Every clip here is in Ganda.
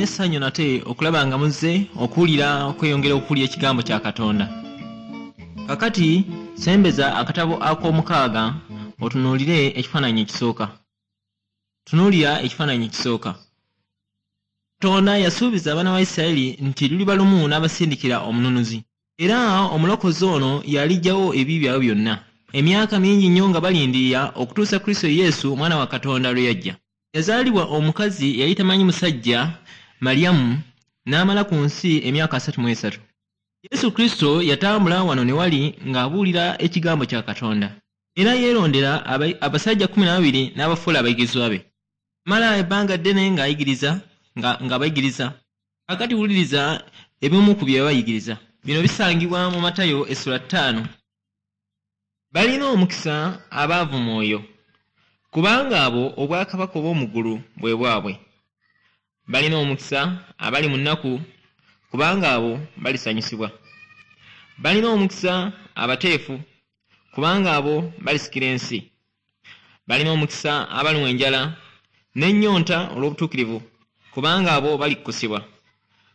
Nina essanyu nate okulaba nga muzze okuwulira, okweyongera okuwulira ekigambo kya Katonda. Kakati sembeza akatabo ak'omukaaga otunuulire ekifaananyi ekisooka. Tunuulira ekifaananyi ekisooka. Katonda yasuubiza abaana ba Isirayiri nti luliba lumu n'abasindikira omununuzi. Era omulokozi ono y'aliggyawo ebibi byabwe byonna. Emyaka mingi nnyo nga balindirira okutuusa Kristo Yesu omwana wa Katonda lwe yajja. Yazaalibwa omukazi eyali tamanyi musajja, Malyamu, n'amala ku nsi emyaka 33. Yesu Kristo yatambula wano ne wali ng'abuulira ekigambo kya Katonda. Era yeerondera abasajja 12 n'abafuula abayigirizwa be. Yamala ebbanga ddene ng'ayigiriza, ng'abayigiriza. Kaakati wuliriza ebimu ku bye yabayigiriza. Bino bisangibwa mu Matayo essula 5. Balina omukisa abaavu mwoyo, kubanga abo obwakabaka obw'omu ggulu bwe bwabwe. Balina omukisa abali mu nnaku, kubanga abo balisanyusibwa. Balina omukisa abateefu, kubanga abo balisikira ensi. Balina omukisa abalumwa enjala n'ennyonta olw'obutuukirivu, kubanga abo balikkusibwa.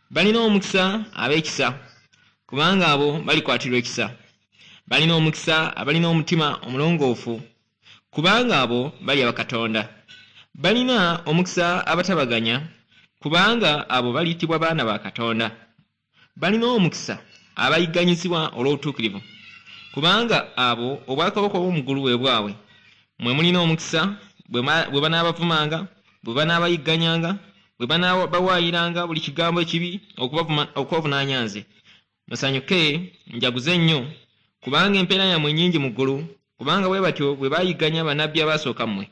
Balina omukisa ab'ekisa, kubanga abo balikwatirwa ekisa. Balina omukisa abalina omutima omulongoofu, kubanga abo baliraba Katonda. Balina omukisa abatabaganya, kubanga abo baliyitibwa baana ba Katonda. Balina omukisa abayigganyizibwa olw'obutuukirivu, kubanga abo obwakabaka obw'omu ggulu bwe bwabwe. Mmwe mulina omukisa bwe banaabavumanga, bwe banaabayigganyanga, bwe banaabawaayiranga buli kigambo ekibi okubavunaanya nze. Musanyuke, mujaguze nnyo, kubanga empeera yammwe nnyingi mu ggulu, kubanga bwe batyo bwe baayigganya bannabbi abaasooka mmwe.